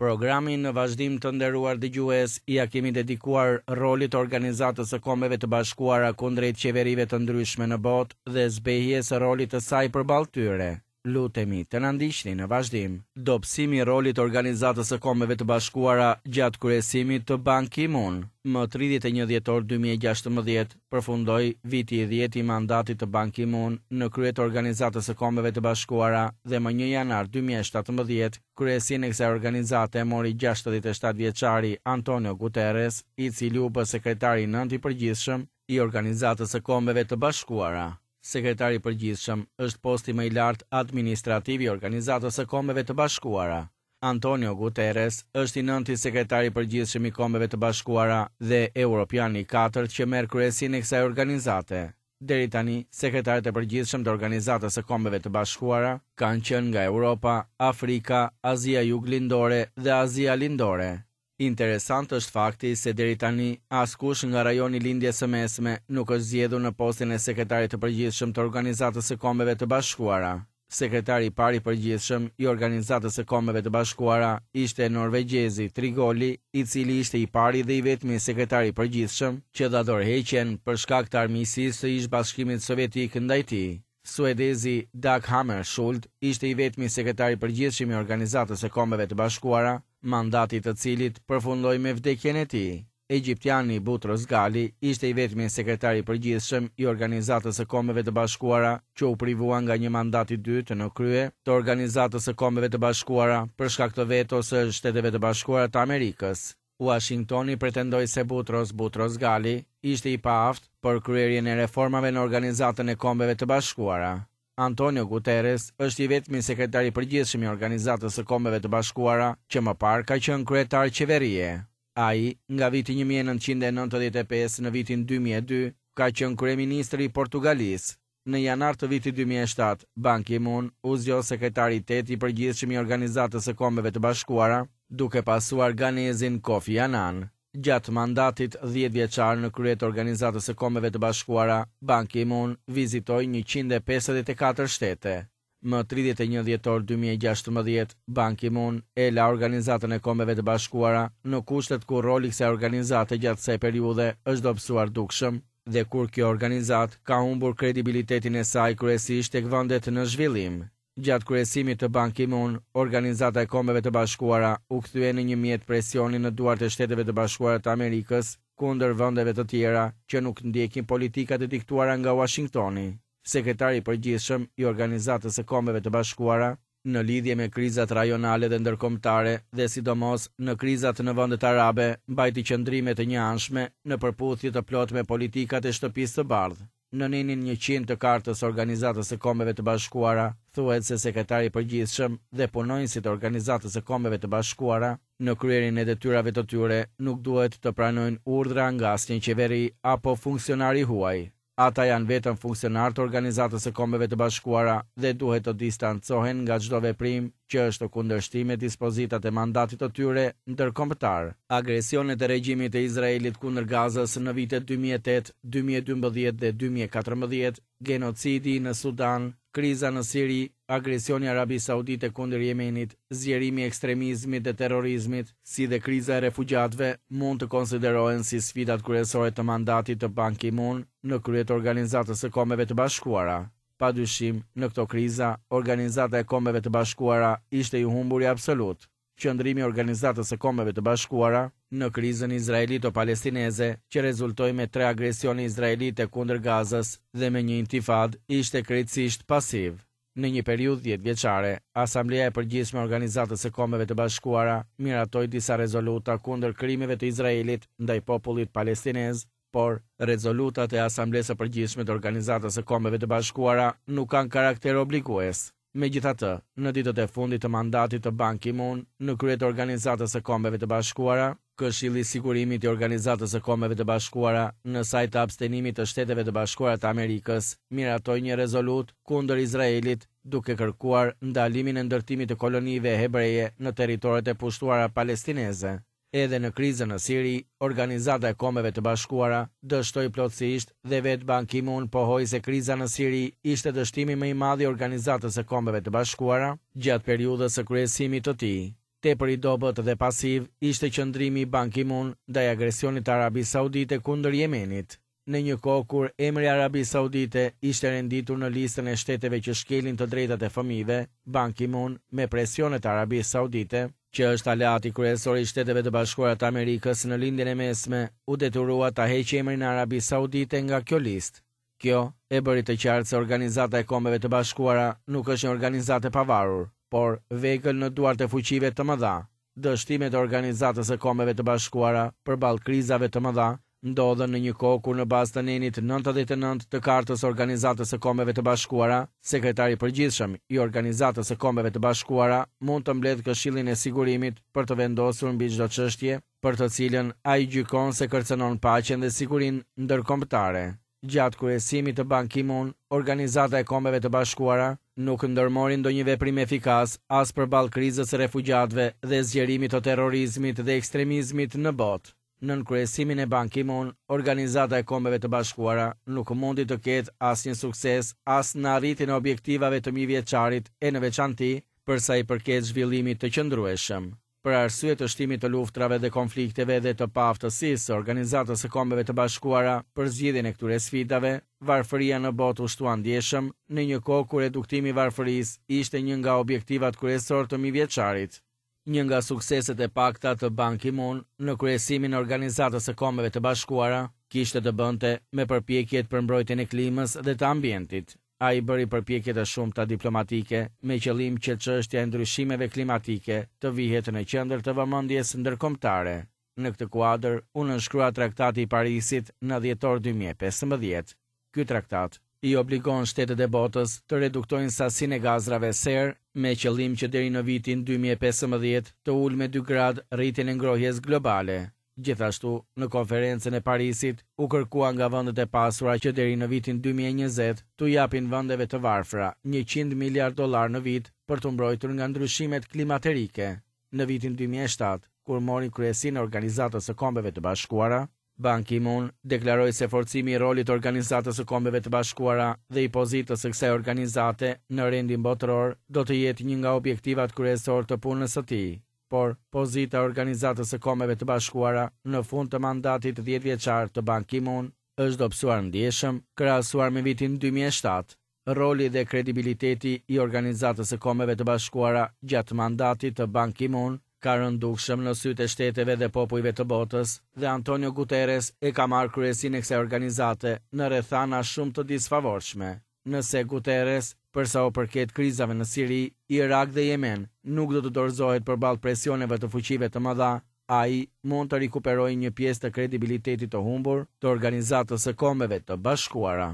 Programin në vazhdim të nderuar dëgjues ia kemi dedikuar rolit të Organizatës së Kombeve të Bashkuara kundrejt qeverive të ndryshme në botë dhe zbehjes së rolit të saj përballë tyre. Lutemi të na ndiqni në vazhdim. Dobësimi i rolit të Organizatës së Kombeve të Bashkuara gjatë kryesimit të Ban Ki-moon. Më 31 dhjetor 2016, përfundoi viti i dhjetë i mandatit të Ban Ki-moon në krye të Organizatës së Kombeve të Bashkuara dhe më 1 janar 2017, kryesinë e kësaj organizate mori 67 vjeçari Antonio Guterres, i cili u bë sekretari i nëntë i përgjithshëm i Organizatës së Kombeve të Bashkuara. Sekretari i Përgjithshëm është posti më i lartë administrativ i Organizatës së Kombeve të Bashkuara. Antonio Guterres është i nënti sekretar i përgjithshëm i Kombeve të Bashkuara dhe europiani i katërt që merr kryesinë e kësaj organizate. Deri tani, sekretarët e përgjithshëm të Organizatës së Kombeve të Bashkuara kanë qenë nga Europa, Afrika, Azia Juglindore dhe Azia Lindore. Interesant është fakti se deri tani askush nga rajoni i Lindjes së Mesme nuk është zgjedhur në postin e sekretarit të përgjithshëm të Organizatës së Kombeve të Bashkuara. Sekretari i parë i përgjithshëm i Organizatës së Kombeve të Bashkuara ishte norvegjezi Trigoli, i cili ishte i pari dhe i vetmi sekretar i përgjithshëm që dha dorëheqjen për shkak të armiqësisë së ish-Bashkimit Sovjetik ndaj tij. Suedezi Dag Hammarskjöld ishte i vetmi sekretar i përgjithshëm i Organizatës së Kombeve të Bashkuara, mandati i të cilit përfundoi me vdekjen e tij. Egjiptiani Butros Ghali ishte i vetmi sekretar i përgjithshëm i Organizatës së Kombeve të Bashkuara që u privua nga një mandat i dytë në krye të Organizatës së Kombeve të Bashkuara për shkak të vetos së Shteteve të Bashkuara të Amerikës. Uashingtoni pretendoi se Butros Butros Ghali ishte i paaftë për kryerjen e reformave në Organizatën e Kombeve të Bashkuara. Antonio Guterres është i vetmi sekretar i përgjithshëm i Organizatës së Kombeve të Bashkuara që më parë ka qenë kryetar qeverie. Ai, nga viti 1995 në vitin 2002, ka qenë kryeministër i Portugalisë. Në janar të vitit 2007, Ban Ki-moon u zgjodh sekretari i tetë i përgjithshëm i Organizatës së Kombeve të Bashkuara, duke pasuar ganezin Kofi Annan. Gjatë mandatit 10 vjeçar në krye të Organizatës së Kombeve të Bashkuara, Ban Ki-moon vizitoi 154 shtete. Më 31 dhjetor 2016, Ban Ki-moon e la Organizatën e Kombeve të Bashkuara në kushtet kur roli i kësaj organizate gjatë kësaj periudhe është dobësuar dukshëm dhe kur kjo organizatë ka humbur kredibilitetin e saj kryesisht tek vendet në zhvillim. Gjatë kryesimit të Ban Ki-moon, Organizata e Kombeve të Bashkuara u kthye në një mjet presioni në duart e Shteteve të Bashkuara të Amerikës kundër vendeve të tjera që nuk ndjekin politikat e diktuara nga Uashingtoni. Sekretari i përgjithshëm i Organizatës së Kombeve të Bashkuara, në lidhje me krizat rajonale dhe ndërkombëtare dhe sidomos në krizat në vendet arabe, mbajti qëndrime të njëanshme në përputhje të plotë me politikat e Shtëpisë së Bardhë. Në nenin 100 të Kartës së Organizatës së Kombeve të Bashkuara thuhet se sekretari i përgjithshëm dhe punonjësit e Organizatës së Kombeve të Bashkuara në kryerjen e detyrave të tyre nuk duhet të pranojnë urdhra nga asnjë qeveri apo funksionar i huaj. Ata janë vetëm funksionarë të Organizatës së Kombeve të Bashkuara dhe duhet të distancohen nga çdo veprim që është në kundërshtim me dispozitat e mandatit të tyre ndërkombëtar. Agresionet e regjimit të Izraelit kundër Gazës në vitet 2008, 2012 dhe 2014, gjenocidi në Sudan, kriza në Siri, agresioni i Arabisë Saudite kundër Jemenit, zgjerimi i ekstremizmit dhe terrorizmit, si dhe kriza e refugjatëve mund të konsiderohen si sfidat kryesore të mandatit të Ban Ki-moon në krye të Organizatës së Kombeve të Bashkuara. Pa dyshim, në këto kriza, Organizata e Kombeve të Bashkuara ishte i humburi absolut. Qëndrimi i Organizatës së Kombeve të Bashkuara në krizën izraelito-palestineze, që rezultoi me tre agresione izraelite kundër Gazës dhe me një intifadë, ishte krejtësisht pasiv. Në një periudhë 10 vjeçare, Asambleja e Përgjithshme e Organizatës së Kombeve të Bashkuara miratoi disa rezoluta kundër krimeve të Izraelit ndaj popullit palestinez, por rezolutat e Asamblesë së Përgjithshme të Organizatës së Kombeve të Bashkuara nuk kanë karakter obligues. Megjithatë, në ditët e fundit të mandatit të Ban Ki-moon në krye të Organizatës së Kombeve të Bashkuara, Këshilli i Sigurimit i Organizatës së Kombeve të Bashkuara, në sajë të abstenimit të Shteteve të Bashkuara të Amerikës, miratoi një rezolutë kundër Izraelit, duke kërkuar ndalimin e ndërtimit të kolonive hebreje në territoret e pushtuara palestineze. Edhe në krizën në Siri, Organizata e Kombeve të Bashkuara dështoi plotësisht dhe vetë Ban Ki-moon pohoi se kriza në Siri ishte dështimi më i madh i Organizatës së Kombeve të Bashkuara gjatë periudhës së kryesimit të tij. Tepër i dobët dhe pasiv ishte qëndrimi i Ban Ki-moon ndaj agresionit të Arabisë Saudite kundër Jemenit. Në një kohë kur emri i Arabisë Saudite ishte renditur në listën e shteteve që shkelin të drejtat e fëmijëve, Ban Ki-moon, me presionet e Arabisë Saudite, që është aleati kryesor i Shteteve të Bashkuara të Amerikës në Lindjen e Mesme, u detyrua ta heqë emrin e Arabisë Saudite nga kjo listë. Kjo e bëri të qartë se Organizata e Kombeve të Bashkuara nuk është një organizatë e pavarur, por vegël në duart e fuqive të mëdha. Dështimet e Organizatës së Kombeve të Bashkuara përballë krizave të mëdha ndodhën në një kohë kur në bazë të nenit 99 të Kartës së Organizatës së Kombeve të Bashkuara, Sekretari i Përgjithshëm i Organizatës së Kombeve të Bashkuara mund të mbledhë Këshillin e Sigurimit për të vendosur mbi çdo çështje për të cilën ai gjykon se kërcënon paqen dhe sigurinë ndërkombëtare. Gjatë kryesimit të Ban Ki-moon, Organizata e Kombeve të Bashkuara nuk ndërmori ndonjë veprim efikas as përballë krizës së refugjatëve dhe zgjerimit të terrorizmit dhe ekstremizmit në botë. Nën kryesimin e Ban Ki-moon, Organizata e Kombeve të Bashkuara nuk mundi të ketë asnjë sukses as në arritjen e objektivave të mijëvjeçarit e në veçanti për sa i përket zhvillimit të qëndrueshëm. Për arsye të shtimit të luftërave dhe konflikteve dhe të paaftësisë së Organizatës së Kombeve të Bashkuara për zgjidhjen e këtyre sfidave, varfëria në botë u shtua ndjeshëm, në një kohë kur reduktimi i varfërisë ishte një nga objektivat kryesorë të mijëvjeçarit. Një nga sukseset e pakta të Ban Ki-moon në kryesimin e Organizatës së Kombeve të Bashkuara kishte të bënte me përpjekjet për mbrojtjen e klimës dhe të ambientit. Ai bëri përpjekje të shumta diplomatike me qëllim që çështja e ndryshimeve klimatike të vihet në qendër të vëmendjes ndërkombëtare. Në këtë kuadër u nënshkrua Traktati i Parisit në dhjetor 2015. Ky traktat i obligon shtetet e botës të reduktojnë sasinë e gazrave serë me qëllim që deri në vitin 2015 të ulë me 2 gradë rritjen e ngrohjes globale. Gjithashtu, në Konferencën e Parisit u kërkua nga vendet e pasura që deri në vitin 2020 t'u japin vendeve të varfra 100 miliardë dollarë në vit për t'u mbrojtur nga ndryshimet klimaterike. Në vitin 2007, kur mori kryesinë e Organizatës së Kombeve të Bashkuara, Ban Ki-moon deklaroi se forcimi i rolit të Organizatës së Kombeve të Bashkuara dhe i pozitës së kësaj organizate në rendin botëror do të jetë një nga objektivat kryesorë të punës së tij. Por, pozita e Organizatës së Kombeve të Bashkuara në fund të mandatit dhjetëvjeçar të Ban Ki-moon është dobësuar ndjeshëm krahasuar me vitin 2007. Roli dhe kredibiliteti i Organizatës së Kombeve të Bashkuara gjatë mandatit të Ban Ki-moon ka rënë dukshëm në sytë e shteteve dhe popujve të botës dhe Antonio Guterres e ka marrë kryesinë e kësaj organizate në rrethana shumë të disfavorshme. Nëse Guterres, për sa u përket krizave në Siri, Irak dhe Jemen, nuk do të dorëzohet përballë presioneve të fuqive të mëdha, ai mund të rikuperojë një pjesë të kredibilitetit të humbur të Organizatës së Kombeve të Bashkuara.